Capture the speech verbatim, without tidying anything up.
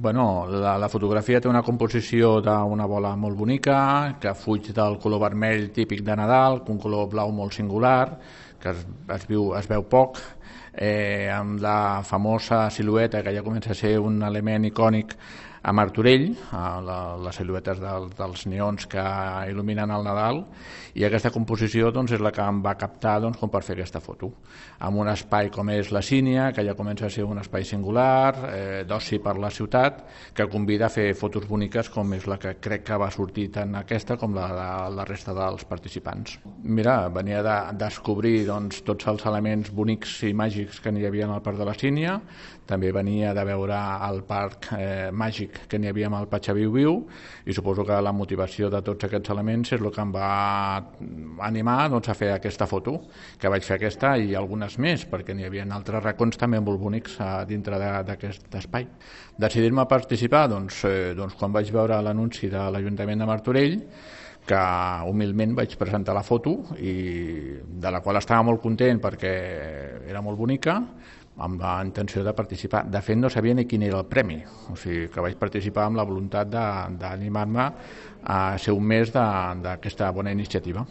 Bueno, la, la fotografia té una composició d'una bola molt bonica, que fuig del color vermell típic de Nadal, un color blau molt singular, que es, es, viu, es veu poc, eh, amb la famosa silueta que ja comença a ser un element icònic a Martorell, a la, les siluetes del, dels neons que il·luminen el Nadal, i aquesta composició doncs, és la que em va captar doncs, com per fer aquesta foto, amb un espai com és la Sínia, que ja comença a ser un espai singular, eh, d'oci per la ciutat, que convida a fer fotos boniques com és la que crec que va sortir tant aquesta com la de la resta dels participants. Mira, venia de descobrir doncs, tots els elements bonics i màgics que n'hi havia al Parc de la Sínia, també venia de veure el parc eh, màgic que n'hi havia amb el Patxaviu Viu, i suposo que la motivació de tots aquests elements és el que em va animar doncs, a fer aquesta foto, que vaig fer aquesta i algunes més, perquè n'hi havia altres racons també molt bonics a dintre d'aquest espai. Decidir-me a participar, doncs, eh, doncs quan vaig veure l'anunci de l'Ajuntament de Martorell, que humilment vaig presentar la foto i de la qual estava molt content perquè era molt bonica, amb la intenció de participar. De fet, no sabia ni quin era el premi, o sigui que vaig participar amb la voluntat d'animar-me a ser un mes d'aquesta bona iniciativa.